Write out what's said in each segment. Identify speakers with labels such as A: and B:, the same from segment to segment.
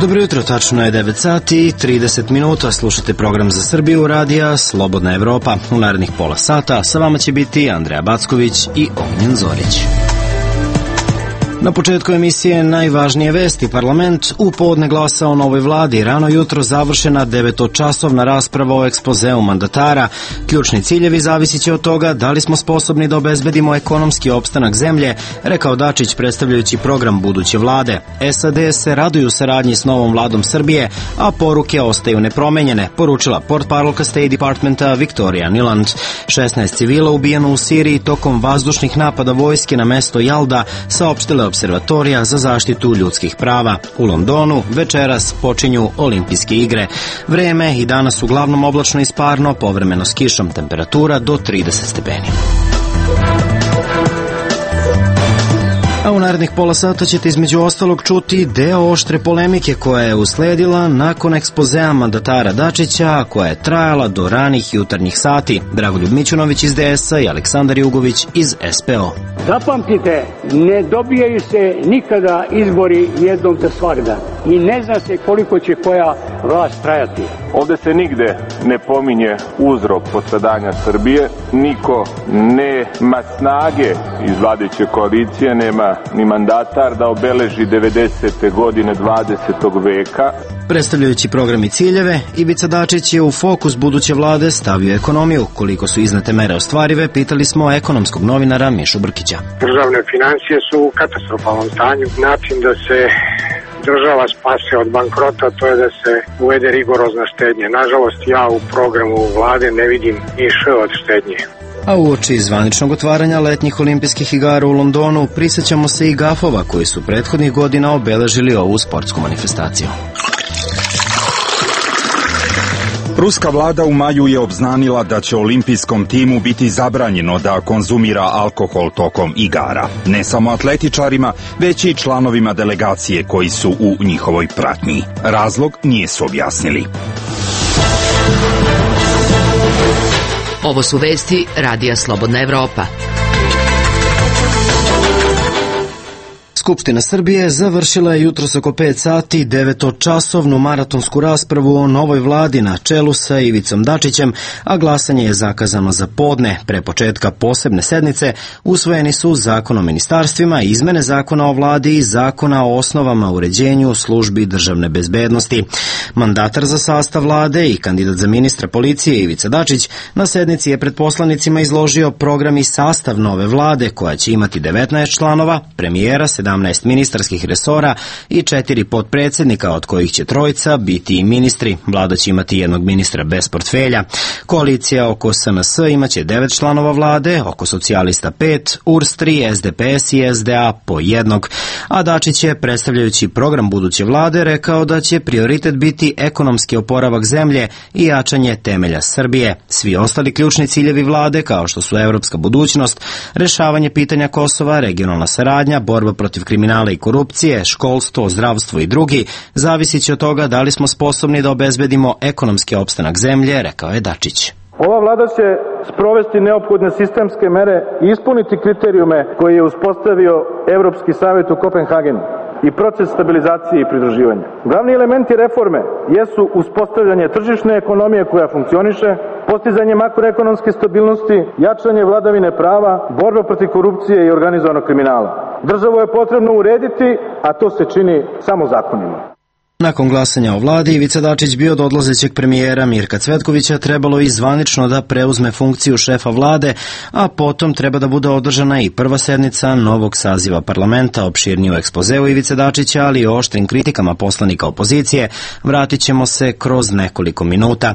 A: Dobro jutro, tačno je 9 sati i 30 minuta. Slušate program za Srbiju radija Slobodna Evropa. U narednih pola sata sa vama će biti Andreja Backović i Ognjen Zorić. Na početku emisije najvažnije vesti. Parlament u podne glasa o novoj vladi. Rano jutro završena 9-časovna rasprava o ekspozeu mandatara. Ključni ciljevi zavisit će od toga da li smo sposobni da obezbedimo ekonomski opstanak zemlje, rekao Dačić predstavljajući program buduće vlade. SAD se raduju saradnji s novom vladom Srbije, a poruke ostaju nepromenjene, poručila portparolka State Departmenta Victoria Nuland. 16 civila ubijeno u Siriji tokom vazdušnih napada vojske na mesto Jalda, saopštile Observatorija za zaštitu ljudskih prava. U Londonu večeras počinju olimpijske igre. Vreme i danas uglavnom oblačno i sparno, povremeno s kišom, temperatura do 30 stepeni. A u narednih pola sata ćete između ostalog čuti deo oštre polemike koja je usledila nakon ekspozea mandatara Dačića, a koja je trajala do ranih jutarnjih sati. Dragoljub Mićunović iz DS-a i Aleksandar Jugović iz SPO.
B: Zapamtite, ne dobijaju se nikada izbori jednom za svagda i ne zna se koliko će koja vlast trajati.
C: Ovde se nigde ne pominje uzrok postradanja Srbije, niko nema snage iz vladajuće koalicije, nema ni mandatar da obeleži 90. godine 20. veka.
A: Predstavljajući program i ciljeve, Ivica Dačić je u fokus buduće vlade stavio ekonomiju. Koliko su iznete mere ostvarive, pitali smo ekonomskog novinara Mišu Brkića.
D: Državne financije su u katastrofalnom stanju. Način da se država spase od bankrota, to je da se uvede rigorozna štednja. Nažalost, ja u programu vlade ne vidim ni š od štednje.
A: A uoči zvaničnog otvaranja letnjih olimpijskih igara u Londonu prisjećamo se i gafova koji su prethodnih godina obeležili ovu sportsku manifestaciju.
E: Ruska vlada u maju je obznanila da će olimpijskom timu biti zabranjeno da konzumira alkohol tokom igara. Ne samo atletičarima, već i članovima delegacije koji su u njihovoj pratnji. Razlog nisu objasnili.
F: Ovo su vesti Radija Slobodna Evropa.
A: Skupština Srbije završila je jutros oko 5 sati 9-časovnu maratonsku raspravu o novoj vladi na čelu sa Ivicom Dačićem, a glasanje je zakazano za podne. Pre početka posebne sednice usvojeni su Zakon o ministarstvima, izmene Zakona o vladi i Zakona o osnovama uređenju službi državne bezbednosti. Mandatar za sastav vlade i kandidat za ministra policije Ivica Dačić na sednici je pred poslanicima izložio program i sastav nove vlade koja će imati 19 članova, premijera, 17 ministarskih resora i 4 potpredsednika, od kojih će 3 biti i ministri. Vlada će imati jednog ministra bez portfelja. Koalicija oko SNS imaće 9 članova vlade, oko socijalista 5, URS 3, SDPS i SDA po 1. A Dačić je, predstavljajući program buduće vlade, rekao da će prioritet biti ekonomski oporavak zemlje i jačanje temelja Srbije. Svi ostali ključni ciljevi vlade, kao što su evropska budućnost, rešavanje pitanja Kosova, regionalna saradnja, borba protiv kriminala i korupcije, školstvo, zdravstvo i drugi, zavisit će od toga da li smo sposobni da obezbedimo ekonomski opstanak zemlje, rekao je Dačić.
G: Ova vlada će sprovesti neophodne sistemske mere i ispuniti kriterijume koje je uspostavio Evropski savjet u Kopenhagenu i proces stabilizacije i pridruživanja. Glavni elementi reforme jesu uspostavljanje tržišne ekonomije koja funkcioniše, postizanje makroekonomske stabilnosti, jačanje vladavine prava, borba protiv korupcije i organizovanog kriminala. Državu je potrebno urediti, a to se čini samo zakonima.
A: Nakon glasanja o vladi, Ivica Dačić bi od odlazećeg premijera Mirka Cvetkovića trebalo i zvanično da preuzme funkciju šefa vlade, a potom treba da bude održana i prva sednica novog saziva parlamenta. Opširniju ekspozeu Ivice Dačića, ali i oštrim kritikama poslanika opozicije, vratit ćemo se kroz nekoliko minuta.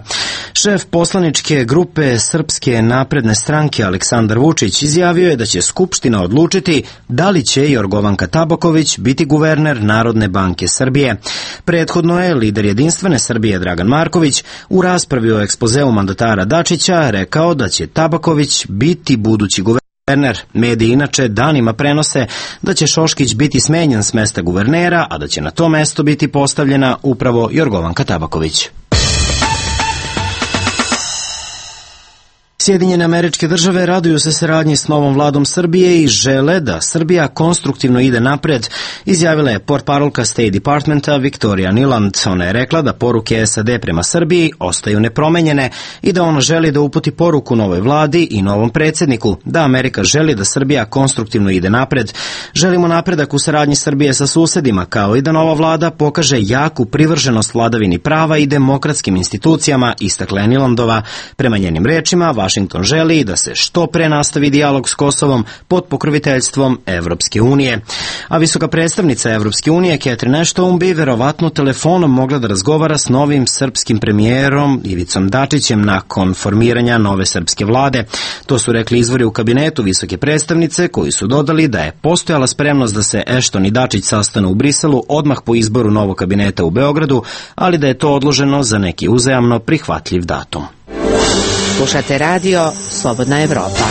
A: Šef poslaničke grupe Srpske napredne stranke Aleksandar Vučić izjavio je da će Skupština odlučiti da li će Jorgovanka Tabaković biti guverner Narodne banke Srbije. Prethodno je lider Jedinstvene Srbije Dragan Marković u raspravi o ekspozeu mandatara Dačića rekao da će Tabaković biti budući guverner. Mediji inače danima prenose da će Šoškić biti smenjen s mesta guvernera, a da će na to mesto biti postavljena upravo Jorgovanka Tabaković. Sjedinjene Američke Države raduju se saradnji s novom vladom Srbije i žele da Srbija konstruktivno ide napred, izjavila je portparolka State Departmenta Victoria Nuland. Ona je rekla da poruke SAD prema Srbiji ostaju nepromenjene i da ona želi da uputi poruku novoj vladi i novom predsjedniku, da Amerika želi da Srbija konstruktivno ide napred. Želimo napredak u saradnji Srbije sa susedima, kao i da nova vlada pokaže jaku privrženost vladavini prava i demokratskim institucijama, istakla je Nulandova. Prema njenim rečima, Washington želi da se što pre nastavi dijalog s Kosovom pod pokroviteljstvom Evropske unije. A visoka predstavnica Evropske unije, Catherine Ashton, bi verovatno telefonom mogla da razgovara s novim srpskim premijerom Ivicom Dačićem nakon formiranja nove srpske vlade. To su rekli izvori u kabinetu visoke predstavnice, koji su dodali da je postojala spremnost da se Ashton i Dačić sastanu u Briselu odmah po izboru novog kabineta u Beogradu, ali da je to odloženo za neki uzajamno prihvatljiv datum.
F: Slušate radio Slobodna Evropa.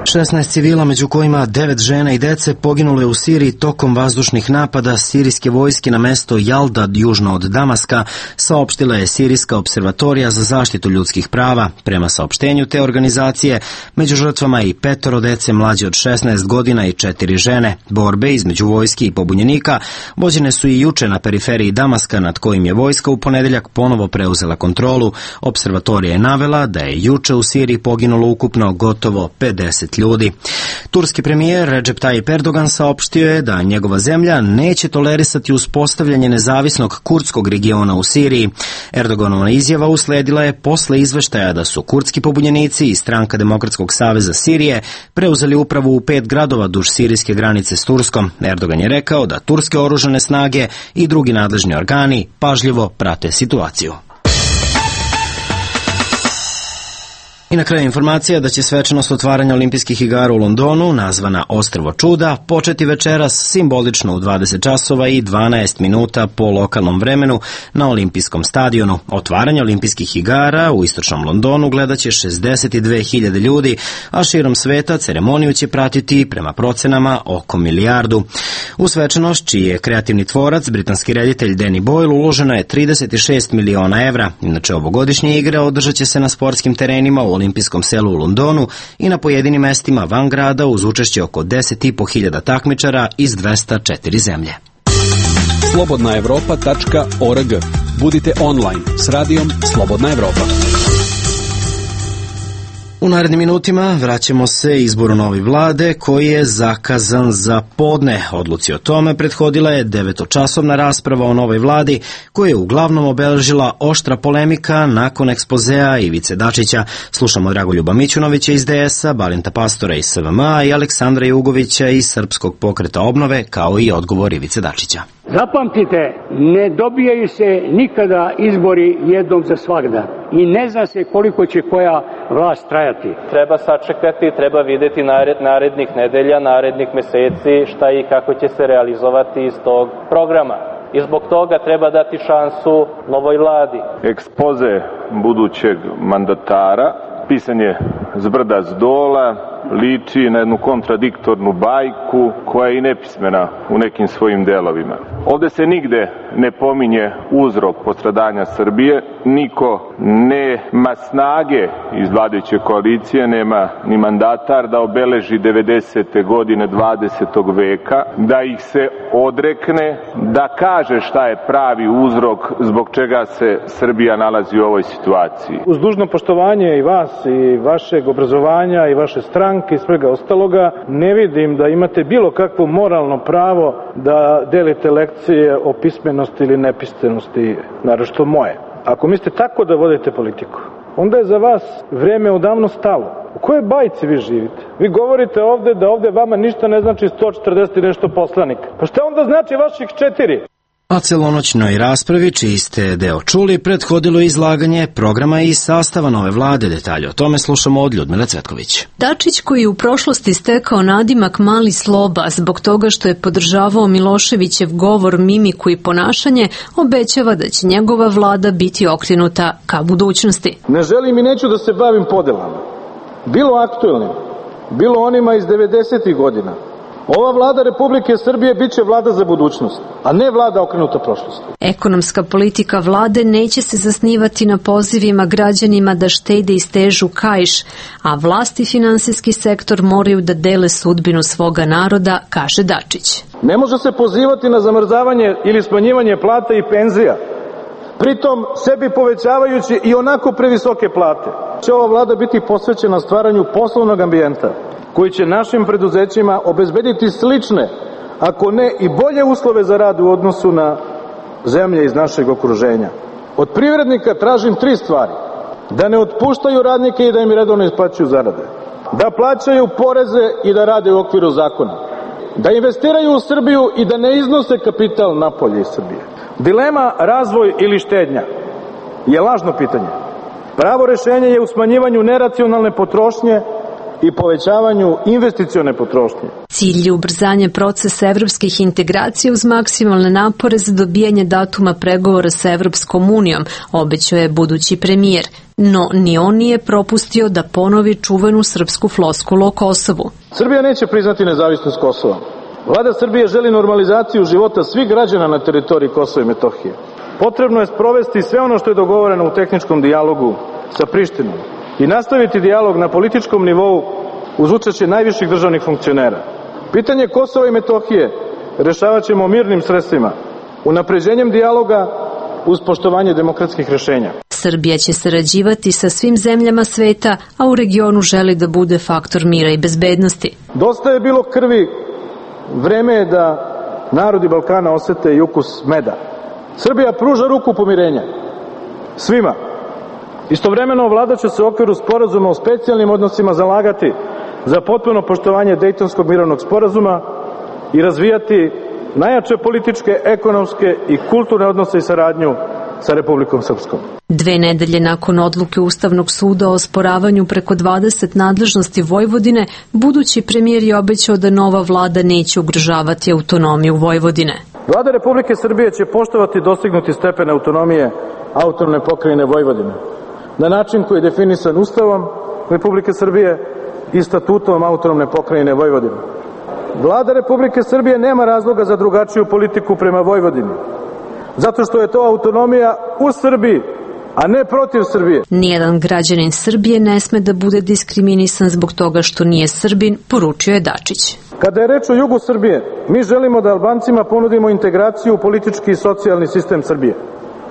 A: 16 civila, među kojima 9 žena i dece, poginulo je u Siriji tokom vazdušnih napada sirijske vojske na mesto Jalda, južno od Damaska, saopštila je Sirijska observatorija za zaštitu ljudskih prava. Prema saopštenju te organizacije, među žrtvama i 5 dece mlađe od 16 godina i 4 žene. Borbe između vojske i pobunjenika vođene su i juče na periferiji Damaska, nad kojim je vojska u ponedeljak ponovo preuzela kontrolu. Observatorija je navela da je juče u Siriji poginulo ukupno gotovo 50 ljudi. Turski premijer Recep Tayyip Erdogan saopštio je da njegova zemlja neće tolerisati uspostavljanje nezavisnog kurdskog regiona u Siriji. Erdoganova izjava usledila je posle izveštaja da su kurdski pobunjenici i Stranka Demokratskog saveza Sirije preuzeli upravu u 5 gradova duž sirijske granice s Turskom. Erdogan je rekao da turske oružane snage i drugi nadležni organi pažljivo prate situaciju. I na kraju informacija da će svečanost otvaranja olimpijskih igara u Londonu, nazvana Ostrvo čuda, početi večeras simbolično u 20 časova i 12 minuta po lokalnom vremenu na olimpijskom stadionu. Otvaranje olimpijskih igara u istočnom Londonu gledaće 62.000 ljudi, a širom sveta ceremoniju će pratiti prema procenama oko 1 milijardu. U svečanost, čiji je kreativni tvorac, britanski reditelj Danny Boyle, uloženo je 36 miliona evra. Inače, ovogodišnje igre održat će se na sportskim terenima u olimpijskom selu u Londonu i na pojedinim mestima van grada uz učešće oko 10.500 takmičara iz 204 zemlje.
H: slobodnaevropa.org. Budite online s radijom Slobodna Evropa.
A: U narednim minutima vraćamo se izboru nove vlade koji je zakazan za podne. Odluci o tome prethodila je 9-časovna rasprava o novoj vladi koja je uglavnom obeležila oštra polemika nakon ekspozea Ivice Dačića. Slušamo Dragoljuba Mićunovića iz DS-a, Balinta Pastora iz SVM-a i Aleksandra Jugovića iz Srpskog pokreta obnove, kao i odgovor Ivice Dačića.
B: Zapamtite, ne dobijaju se nikada izbori jednom za svagda i ne zna se koliko će koja vlast trajati.
I: Treba sačekati, treba videti narednih nedelja, narednih meseci šta i kako će se realizovati iz tog programa. I zbog toga treba dati šansu novoj vladi.
C: Ekspoze budućeg mandatara pisan je zbrda zdola, liči na jednu kontradiktornu bajku koja je i nepismena u nekim svojim delovima. Ovde se nigde ne pominje uzrok postradanja Srbije, niko nema snage iz vladajuće koalicije, nema ni mandatar da obeleži 90. godine 20. veka, da ih se odrekne, da kaže šta je pravi uzrok zbog čega se Srbija nalazi u ovoj situaciji.
G: Uz dužno poštovanje i vas i vašeg obrazovanja i vaše stranke i svega ostaloga, ne vidim da imate bilo kakvo moralno pravo da delite lekcije o pismenosti ili nepismenosti, naročito moje. Ako mislite tako da vodite politiku, onda je za vas vreme odavno stalo. U kojoj bajci vi živite? Vi govorite ovde da ovde vama ništa ne znači 140 i nešto poslanika. Pa šta onda znači vaših 4?
A: A celonoćnoj raspravi, čiji ste deo čuli, prethodilo izlaganje programa i sastava nove vlade. Detalje o tome slušamo od Ljudmile Cvetković.
J: Dačić, koji je u prošlosti stekao nadimak Mali Sloba zbog toga što je podržavao Miloševićev govor, mimiku i ponašanje, obećava da će njegova vlada biti okrenuta ka budućnosti.
G: Ne želim i neću da se bavim podelama. Bilo aktuelnim, bilo onima iz 90. godina. Ova vlada Republike Srbije biće vlada za budućnost, a ne vlada okrenuta prošlosti.
J: Ekonomska politika vlade neće se zasnivati na pozivima građanima da štede i stežu kaiš, a vlast i finansijski sektor moraju da dele sudbinu svoga naroda, kaže Dačić.
G: Ne može se pozivati na zamrzavanje ili smanjivanje plata i penzija, pritom sebi povećavajući i onako previsoke plate. Će ova vlada biti posvećena stvaranju poslovnog ambijenta koji će našim preduzećima obezbediti slične, ako ne i bolje uslove za rad u odnosu na zemlje iz našeg okruženja. Od privrednika tražim 3 stvari. Da ne otpuštaju radnike i da im redovno isplaćuju zarade. Da plaćaju poreze i da rade u okviru zakona. Da investiraju u Srbiju i da ne iznose kapital napolje iz Srbije. Dilema razvoj ili štednja je lažno pitanje. Pravo rešenje je u smanjivanju neracionalne potrošnje i povećavanju investicione potrošnje.
J: Cilj je ubrzanje procesa evropskih integracija uz maksimalne napore za dobijanje datuma pregovora sa Evropskom unijom, obećao je budući premijer. No, ni on nije propustio da ponovi čuvenu srpsku floskulu o Kosovu.
G: Srbija neće priznati nezavisnost Kosova. Vlada Srbije želi normalizaciju života svih građana na teritoriji Kosova i Metohije. Potrebno je sprovesti sve ono što je dogovoreno u tehničkom dijalogu sa Prištinom i nastaviti dijalog na političkom nivou uz učešće najviših državnih funkcionera. Pitanje Kosova i Metohije rešavat ćemo mirnim sredstvima, unapređenjem dijaloga uz poštovanje demokratskih rešenja.
J: Srbija će sarađivati sa svim zemljama sveta, a u regionu želi da bude faktor mira i bezbednosti.
G: Dosta je bilo krvi, vreme je da narodi Balkana osete i ukus meda. Srbija pruža ruku pomirenja svima. Istovremeno vlada će se u okviru sporazuma o specijalnim odnosima zalagati za potpuno poštovanje Dejtonskog mirovnog sporazuma i razvijati najjače političke, ekonomske i kulturne odnose i saradnju sa Republikom Srpskom.
J: 2 nedelje nakon odluke Ustavnog suda o osporavanju preko 20 nadležnosti Vojvodine, budući premijer je obećao da nova vlada neće ugrožavati autonomiju Vojvodine.
G: Vlada Republike Srbije će poštovati dostignuti stepen autonomije autonomne pokrajine Vojvodine na način koji je definisan Ustavom Republike Srbije i statutom autonomne pokrajine Vojvodine. Vlada Republike Srbije nema razloga za drugačiju politiku prema Vojvodini, zato što je to autonomija u Srbiji, a ne protiv Srbije.
J: Nijedan građanin Srbije ne sme da bude diskriminisan zbog toga što nije Srbin, poručio je Dačić.
G: Kada je reč o jugu Srbije, mi želimo da Albancima ponudimo integraciju u politički i socijalni sistem Srbije,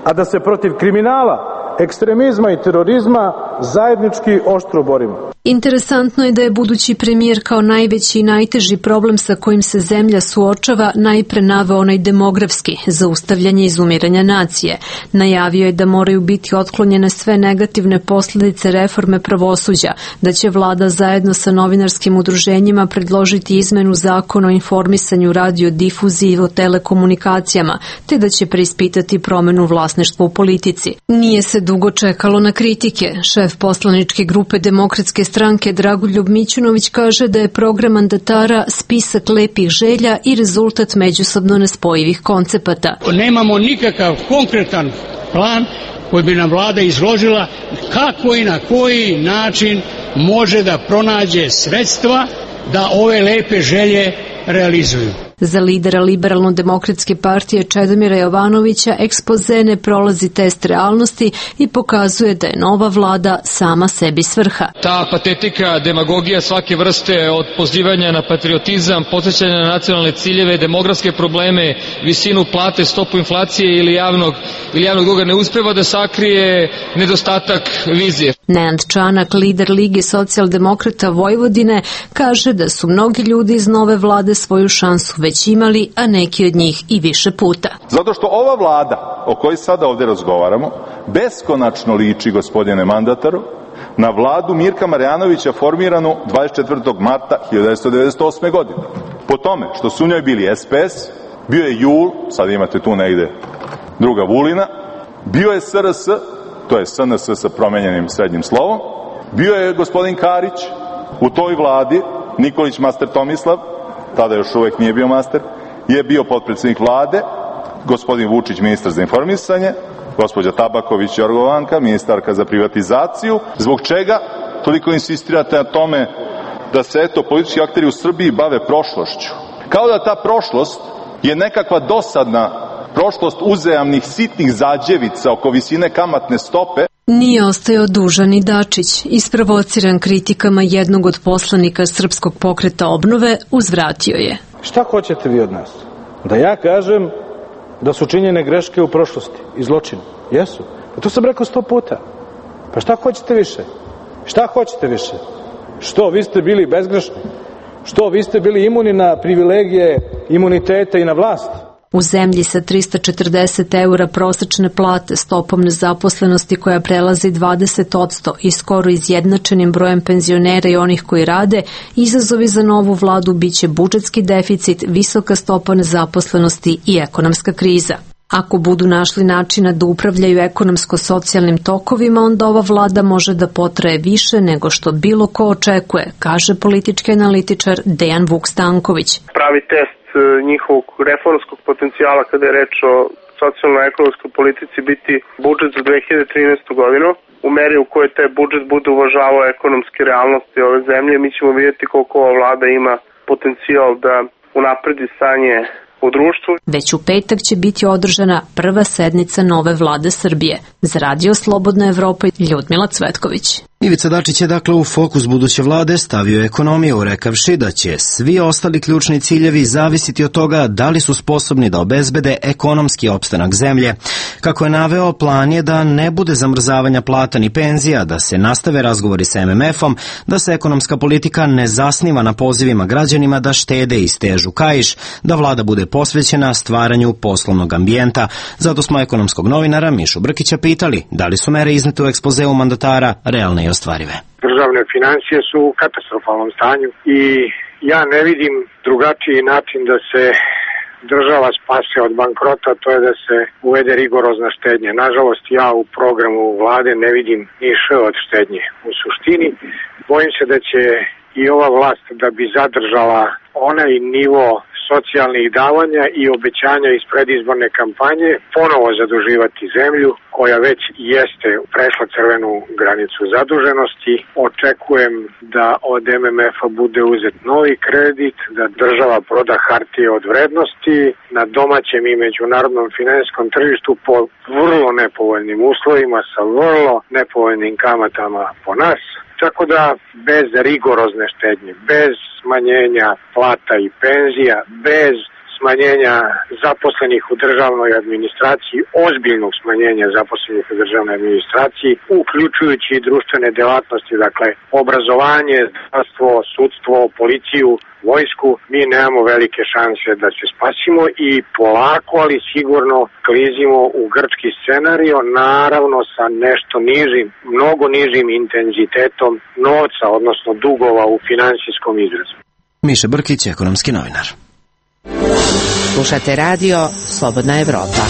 G: a da se protiv kriminala, ekstremizma i terorizma zajednički oštro borimo.
J: Interesantno je da je budući premijer kao najveći i najteži problem sa kojim se zemlja suočava najpre naveo onaj demografski, zaustavljanje izumiranja nacije. Najavio je da moraju biti otklonjene sve negativne posljedice reforme pravosuđa, da će vlada zajedno sa novinarskim udruženjima predložiti izmenu zakona o informisanju, radiodifuziji i o telekomunikacijama, te da će preispitati promenu vlasništva u politici. Nije se dugo čekalo na kritike. Šef poslaničke grupe Demokratske stranke Dragoljub Mićunović kaže da je program mandatara spisak lepih želja i rezultat međusobno nespojivih koncepata.
B: Nemamo nikakav konkretan plan koji bi nam vlada izložila kako i na koji način može da pronađe sredstva da ove lepe želje realizuju.
J: Za lidera Liberalno-demokratske partije Čedomira Jovanovića ekspoze ne prolazi test realnosti i pokazuje da je nova vlada sama sebi svrha.
K: Ta patetika, demagogija svake vrste od pozivanja na patriotizam, podsjećanja na nacionalne ciljeve, demografske probleme, visinu plate, stopu inflacije ili javnog duga ne uspeva da sakrije nedostatak vizije.
J: Nenad Čanak, lider Lige socijaldemokrata Vojvodine, kaže da su mnogi ljudi iz nove vlade svoju šansu već imali, a neki od njih i više puta.
L: Zato što ova vlada o kojoj sada ovde razgovaramo beskonačno liči, gospodine mandataru, na vladu Mirka Marjanovića formiranu 24. marta 1998. godine. Po tome što su u njoj bili SPS, bio je JUL, sad imate tu negde druga Vulina, bio je SRS, to je SNS sa promenjenim srednjim slovom, bio je gospodin Karić u toj vladi, Nikolić master Tomislav, tada još uvek nije bio master, je bio potpredsjednik vlade, gospodin Vučić ministar za informisanje, gospođa Tabaković Jorgovanka, ministarka za privatizaciju. Zbog čega toliko insistirate na tome da se politički akteri u Srbiji bave prošlošću. Kao da ta prošlost je nekakva dosadna prošlost uzajamnih sitnih zađevica oko visine kamatne stope.
J: Nije ostajao dužan i Dačić. Isprovociran kritikama jednog od poslanika Srpskog pokreta obnove, uzvratio je.
G: Šta hoćete vi od nas? Da ja kažem da su činjene greške u prošlosti i zločini? Jesu. Pa to sam rekao 100 puta. Pa šta hoćete više? Šta hoćete više? Što, vi ste bili bezgrešni? Što, vi ste bili imuni na privilegije, imunitete i na vlast?
J: U zemlji sa 340 eura prosečne plate, stopom nezaposlenosti koja prelazi 20% i skoro izjednačenim brojem penzionera i onih koji rade, izazovi za novu vladu biće budžetski deficit, visoka stopa nezaposlenosti i ekonomska kriza. Ako budu našli načina da upravljaju ekonomsko-socijalnim tokovima, onda ova vlada može da potraje više nego što bilo ko očekuje, kaže politički analitičar Dejan Vuk Stanković.
M: Pravi test njihovog reformskog potencijala kada je reč o socijalno-ekonomskoj politici biti budžet za 2013. godinu. U meri u kojoj taj budžet bude uvažavao ekonomske realnosti ove zemlje, mi ćemo vidjeti koliko ova vlada ima potencijal da unapredi stanje u društvu.
J: Već u petak će biti održana prva sednica nove vlade Srbije. Za Radio Slobodna Evropa, Ljudmila Cvetković.
A: Ivica Dačić je dakle u fokus buduće vlade stavio ekonomiju, rekavši da će svi ostali ključni ciljevi zavisiti od toga da li su sposobni da obezbede ekonomski opstanak zemlje. Kako je naveo, plan je da ne bude zamrzavanja plata ni penzija, da se nastave razgovori sa MMF-om, da se ekonomska politika ne zasniva na pozivima građanima da štede i stežu kaiš, da vlada bude posvećena stvaranju poslovnog ambijenta. Zato smo ekonomskog novinara Mišu Brkića pitali da li su mere iznete u ekspozeu mandatara realne i ostvarive.
D: Državne financije su u katastrofalnom stanju i ja ne vidim drugačiji način da se država spase od bankrota, to je da se uvede rigorozna štednja. Nažalost, ja u programu vlade ne vidim ni š od štednje. U suštini, bojim se da će i ova vlast da bi zadržala onaj nivo socijalnih davanja i obećanja iz predizborne kampanje ponovo zaduživati zemlju koja već jeste prešla crvenu granicu zaduženosti. Očekujem da od MMF-a bude uzet novi kredit, da država proda hartije od vrednosti na domaćem i međunarodnom finansijskom tržištu po vrlo nepovoljnim uslovima sa vrlo nepovoljnim kamatama po nas. Tako da bez rigorozne štednje, bez smanjenja plata i penzija, bez smanjenja zaposlenih u državnoj administraciji, ozbiljnog smanjenja zaposlenih u državnoj administraciji, uključujući i društvene delatnosti, dakle obrazovanje, zdravstvo, sudstvo, policiju, vojsku, mi nemamo velike šanse da se spasimo i polako, ali sigurno klizimo u grčki scenario, naravno sa nešto nižim, mnogo nižim intenzitetom novca, odnosno dugova u finansijskom izrazu.
A: Miša Brkić, ekonomski novinar.
F: Slušate radio Slobodna Evropa.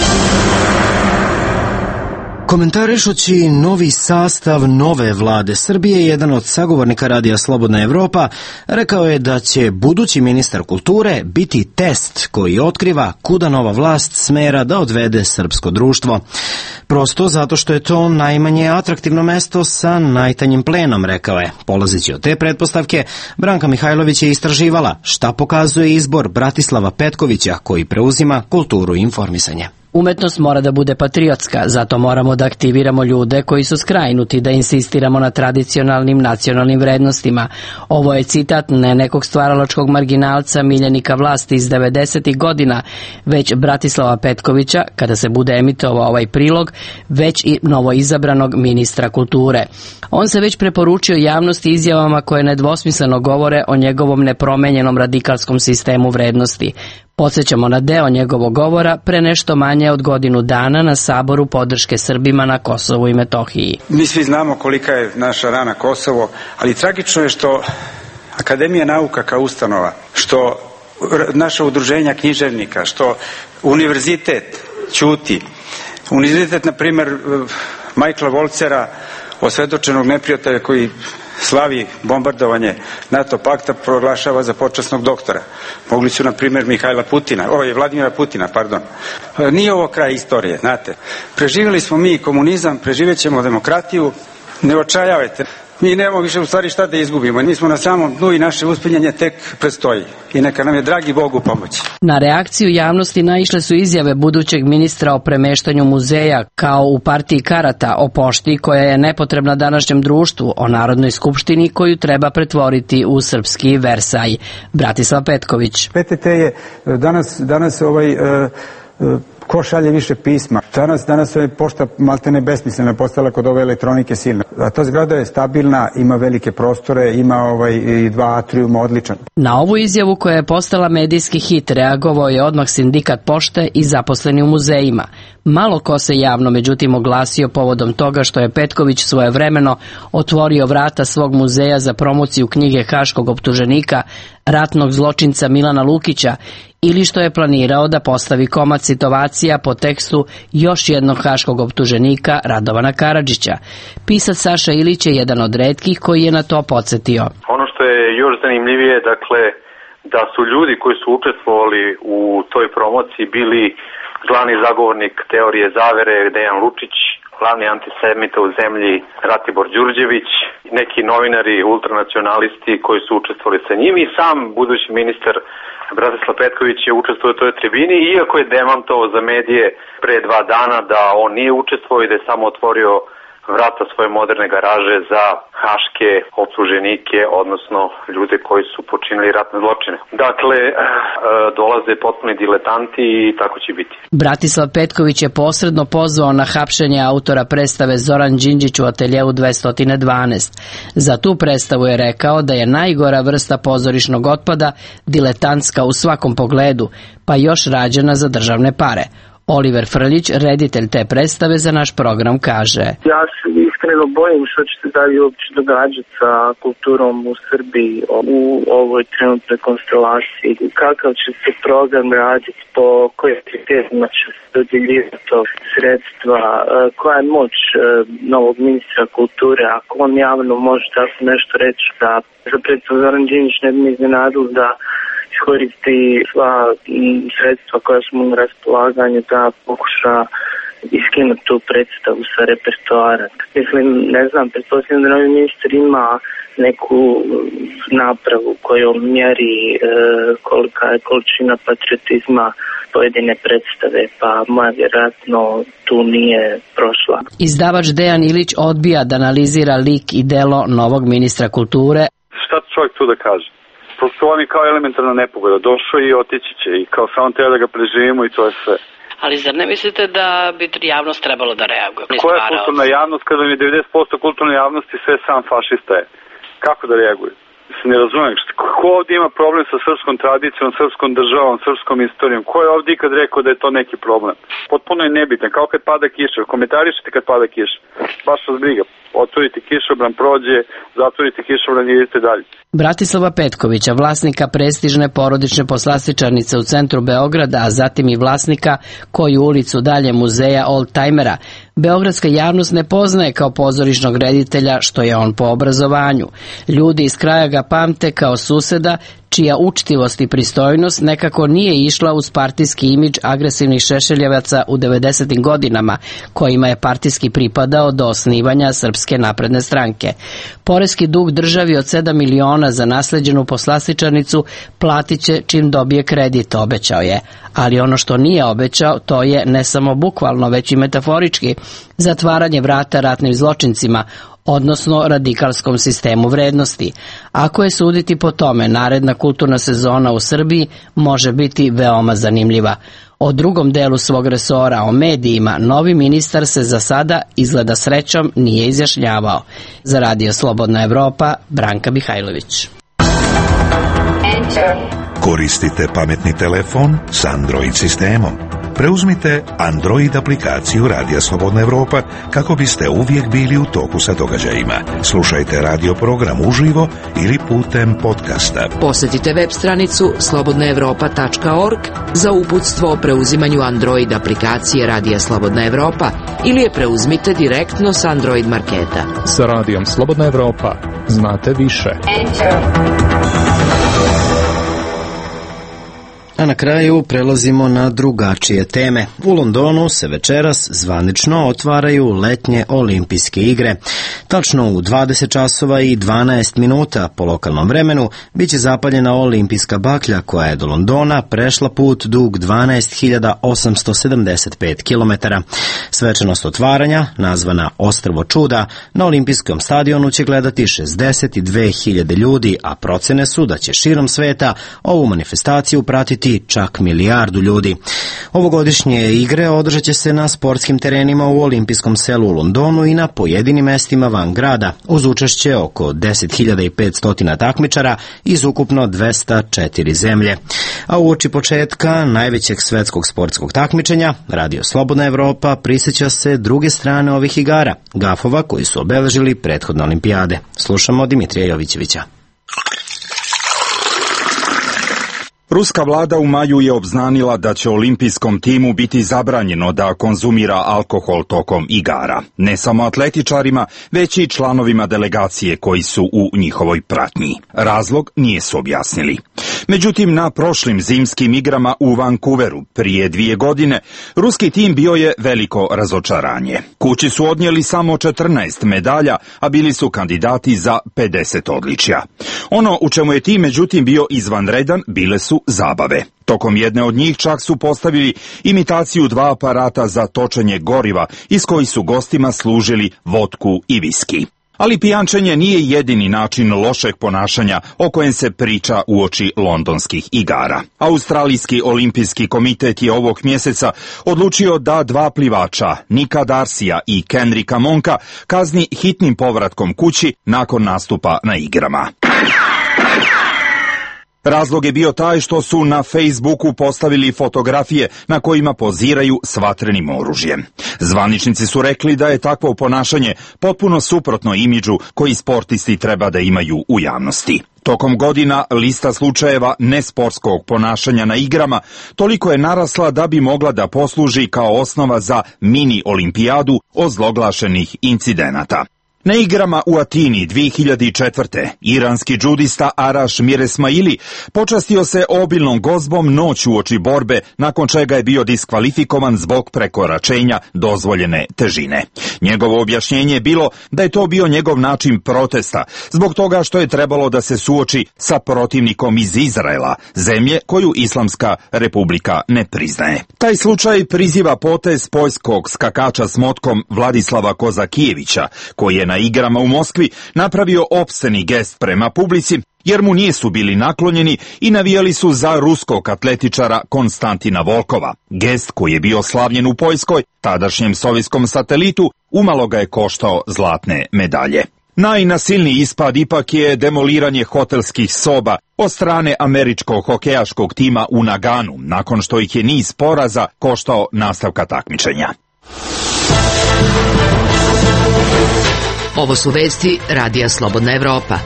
A: Komentarišući novi sastav nove vlade Srbije, jedan od sagovornika radija Slobodna Evropa rekao je da će budući ministar kulture biti test koji otkriva kuda nova vlast smera da odvede srpsko društvo. Prosto zato što je to najmanje atraktivno mesto sa najtanjim plenom, rekao je. Polazeći od te pretpostavke, Branka Mihajlović je istraživala šta pokazuje izbor Bratislava Petkovića koji preuzima kulturu i informisanje.
N: Umetnost mora da bude patriotska, zato moramo da aktiviramo ljude koji su skrajnuti, da insistiramo na tradicionalnim nacionalnim vrednostima. Ovo je citat ne nekog stvaralačkog marginalca, miljenika vlasti iz 90. godina, već Bratislava Petkovića, kada se bude emitovao ovaj prilog, već i novoizabranog ministra kulture. On se već preporučio javnosti izjavama koje nedvosmisleno govore o njegovom nepromenjenom radikalskom sistemu vrednosti. Podsjećamo na deo njegovog govora pre nešto manje od godinu dana na Saboru podrške Srbima na Kosovu i Metohiji.
O: Mi svi znamo kolika je naša rana Kosovo, ali tragično je što Akademija nauka kao ustanova, što naša udruženja književnika, što univerzitet ćuti. Univerzitet, na primjer, Majkla Volcera, osvedočenog neprijatelja koji slavi bombardovanje NATO pakta, proglašava za počasnog doktora. Mogli su, na primjer, Vladimira Putina, pardon. Nije ovo kraj istorije, znate. Preživjeli smo mi komunizam, preživjet ćemo demokratiju, Ne očajavajte. Mi nemamo više u stvari šta da izgubimo. Mi smo na samom dnu i naše uspinjanje tek predstoji. I neka nam je dragi Bog u pomoći.
N: Na reakciju javnosti naišle su izjave budućeg ministra o premeštanju muzeja, kao u partiji karata, o pošti koja je nepotrebna današnjem društvu, o Narodnoj skupštini koju treba pretvoriti u srpski Versaj. Bratislav Petković.
O: PTT je danas ko šalje više pisma. Danas je pošta maltene besmislena postala kod ove elektronike silne. A ta zgrada je stabilna, ima velike prostore, ima i 2 atrijuma odličan.
N: Na ovu izjavu koja je postala medijski hit reagovao je odmah sindikat pošte i zaposleni u muzejima. Malo ko se javno međutim oglasio povodom toga što je Petković svojevremeno otvorio vrata svog muzeja za promociju knjige haškog optuženika, ratnog zločinca Milana Lukića, ili što je planirao da postavi komad situacija po tekstu još jednog haškog optuženika Radovana Karadžića. Pisac Saša Ilić je jedan od retkih koji je na to podsjetio.
P: Ono što je još zanimljivije, dakle, da su ljudi koji su učestvovali u toj promociji bili glavni zagovornik teorije zavere Dejan Lučić, glavni antisemita u zemlji Ratibor Đurđević, neki novinari, ultranacionalisti koji su učestvovali sa njim i sam budući ministar Bratislav Petković je učestvovao u toj tribini, iako je demantovao za medije pre 2 dana da on nije učestvovao i da je samo otvorio vrata svoje moderne garaže za haške optuženike, odnosno ljude koji su počinili ratne zločine. Dakle, dolaze potpuni diletanti i tako će biti.
N: Bratislav Petković je posredno pozvao na hapšenje autora predstave Zoran Đinđić u ateljeu 212. Za tu predstavu je rekao da je najgora vrsta pozorišnog otpada, diletantska u svakom pogledu, pa još rađena za državne pare. Oliver Frljić, reditelj te predstave za naš program, kaže:
Q: Ja se iskreno bojim što će se dalje uopće događati sa kulturom u Srbiji u ovoj trenutnoj konstelaciji. Kakav će se program raditi, po kojim kriterijima će se dodjeljivati sredstva, koja je moć novog ministra kulture, ako on javno može tako nešto reći da za predstavu Zoran Đinđić ne bi me iznenadilo da iskoristi sva sredstva koja su mu na raspolaganju da pokuša iskinuti tu predstavu sa repertoara. Mislim, ne znam, pretpostavljam da novi ministar ima neku napravu kojom mjeri kolika je količina patriotizma pojedine predstave, pa moja vjerojatno tu nije prošla.
N: Izdavač Dejan Ilić odbija da analizira lik i delo novog ministra kulture.
R: Šta čovjek tu da kaže? Prosto on je kao elementarna nepogoda. Došao i otići će i kao samo treba da ga preživimo i to je sve.
N: Ali zar ne mislite da bi javnost trebalo da reaguje?
R: Koja je kulturna javnost kada mi 90% kulturne javnosti sve sam fašista je? Kako da reaguje? Se ne razumijem. Ko ovdje ima problem sa srpskom tradicijom, srpskom državom, srpskom istorijom? Ko je ovdje ikad rekao da je to neki problem? Potpuno je nebitan. Kao kad pada kiša. Komentarišite kad pada kiša. Baš vas briga. Otvorite kišobran, prođe, zatvorite kišobran i idete dalje.
N: Bratislava Petkovića, vlasnika prestižne porodične poslastičarnice u centru Beograda, a zatim i vlasnika koju ulicu dalje muzeja oldtajmera, beogradska javnost ne poznaje kao pozorišnog reditelja, što je on po obrazovanju. Ljudi iz kraja ga pamte kao suseda čija učtivost i pristojnost nekako nije išla uz partijski imidž agresivnih šešeljevaca u 90. godinama, kojima je partijski pripadao do osnivanja Srpske napredne stranke. Poreski dug državi od 7 miliona za nasleđenu poslastičarnicu platit će čim dobije kredit, obećao je. Ali ono što nije obećao, to je ne samo bukvalno, već i metaforički, zatvaranje vrata ratnim zločincima, odnosno radikalskom sistemu vrednosti. Ako je suditi po tome, naredna kulturna sezona u Srbiji može biti veoma zanimljiva. O drugom delu svog resora, o medijima, novi ministar se za sada, izgleda srećom, nije izjašnjavao. Za Radio Slobodna Evropa, Branka Mihajlović.
S: Koristite pametni telefon s Android sistemom. Preuzmite Android aplikaciju Radija Slobodna Evropa kako biste uvijek bili u toku sa događajima. Slušajte radio program uživo ili putem podcasta.
F: Posjetite web stranicu slobodnaevropa.org za uputstvo o preuzimanju Android aplikacije Radija Slobodna Evropa ili je preuzmite direktno s Android marketa.
T: Sa Radijom Slobodna Evropa znate više.
A: A na kraju prelazimo na drugačije teme. U Londonu se večeras zvanično otvaraju letnje olimpijske igre. Tačno u 20 časova i 12 minuta po lokalnom vremenu biće zapaljena olimpijska baklja koja je do Londona prešla put dug 12.875 km. Svečanost otvaranja, nazvana Ostrvo čuda, na olimpijskom stadionu će gledati 62.000 ljudi, a procene su da će širom sveta ovu manifestaciju pratiti čak 1 milijardu ljudi. Ovogodišnje igre održat će se na sportskim terenima u olimpijskom selu u Londonu i na pojedinim mestima van grada, uz učešće oko 10.500 takmičara iz ukupno 204 zemlje. A uoči početka najvećeg svetskog sportskog takmičenja, Radio Slobodna Evropa prisjeća se druge strane ovih igara, gafova koji su obeležili prethodne olimpijade. Slušamo Dimitrija Jovićevića.
E: Ruska vlada u maju je obznanila da će olimpijskom timu biti zabranjeno da konzumira alkohol tokom igara. Ne samo atletičarima, već i članovima delegacije koji su u njihovoj pratnji. Razlog nije su objasnili. Međutim, na prošlim zimskim igrama u Vancouveru prije 2 godine, ruski tim bio je veliko razočaranje. Kući su odnijeli samo 14 medalja, a bili su kandidati za 50 odličja. Ono u čemu je tim međutim bio izvanredan bile su zabave. Tokom jedne od njih čak su postavili imitaciju 2 aparata za točenje goriva iz kojih su gostima služili vodku i viski. Ali pijančenje nije jedini način lošeg ponašanja o kojem se priča uoči londonskih igara. Australijski olimpijski komitet je ovog mjeseca odlučio da 2 plivača, Nika Darsija i Kenrika Monka, kazni hitnim povratkom kući nakon nastupa na igrama. Razlog je bio taj što su na Facebooku postavili fotografije na kojima poziraju s vatrenim oružjem. Zvaničnici su rekli da je takvo ponašanje potpuno suprotno imidžu koji sportisti treba da imaju u javnosti. Tokom godina lista slučajeva nesportskog ponašanja na igrama toliko je narasla da bi mogla da posluži kao osnova za mini olimpijadu ozloglašenih incidenata. Na igrama u Atini 2004. iranski džudista Araš Miresmaili počastio se obilnom gozbom noć uoči borbe, nakon čega je bio diskvalifikovan zbog prekoračenja dozvoljene težine. Njegovo objašnjenje je bilo da je to bio njegov način protesta, zbog toga što je trebalo da se suoči sa protivnikom iz Izraela, zemlje koju Islamska republika ne priznaje. Taj slučaj priziva potez poljskog skakača s motkom Vladislava Kozakijevića, koji je na igrama u Moskvi napravio opsceni gest prema publici, jer mu nisu bili naklonjeni i navijali su za ruskog atletičara Konstantina Volkova. Gest koji je bio slavljen u Poljskoj, tadašnjem sovjetskom satelitu, umalo ga je koštao zlatne medalje. Najnasilniji ispad ipak je demoliranje hotelskih soba od strane američkog hokejaškog tima u Naganu, nakon što ih je niz poraza koštao nastavka takmičenja.
F: Ovo su vesti Radija Slobodna Evropa.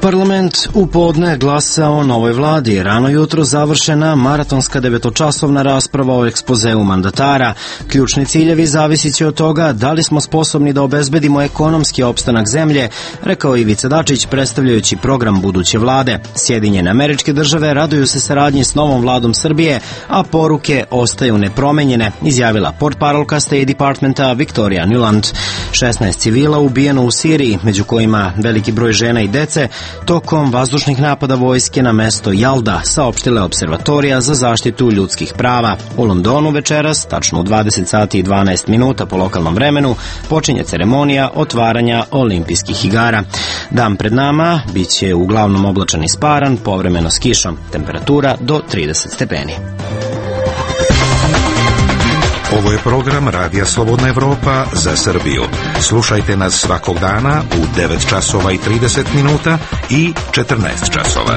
A: Parlament u podne glasa o novoj vladi. Rano jutro završena maratonska 9-časovna rasprava o ekspozeu mandatara. Ključni ciljevi zavisit će od toga da li smo sposobni da obezbedimo ekonomski opstanak zemlje, rekao Ivica Dačić predstavljajući program buduće vlade. Sjedinjene Američke Države raduju se saradnji s novom vladom Srbije, a poruke ostaju nepromenjene, izjavila portparolka State Departmenta Victoria Nuland. 16 civila ubijeno u Siriji, među kojima veliki broj žena i dece, tokom vazdušnih napada vojske na mesto Jalda, saopštila je Observatorija za zaštitu ljudskih prava. U Londonu večeras, tačno u 20 sati i 12 minuta po lokalnom vremenu, počinje ceremonija otvaranja olimpijskih igara. Dan pred nama biće uglavnom oblačan i sparan, povremeno s kišom. Temperatura do 30 stepeni.
S: Ovo je program Radija Slobodna Evropa za Srbiju. Slušajte nas svakog dana u 9 časova i 30 minuta i 14 časova.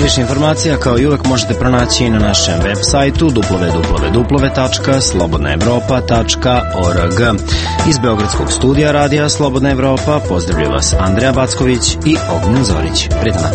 A: više informacija kao i uvek možete pronaći na našem web sajtu www.slobodnaevropa.org. Iz Beogradskog studija Radija Slobodna Evropa pozdravlja vas Andreja Backović i Ognjen Zorić. Prijatno.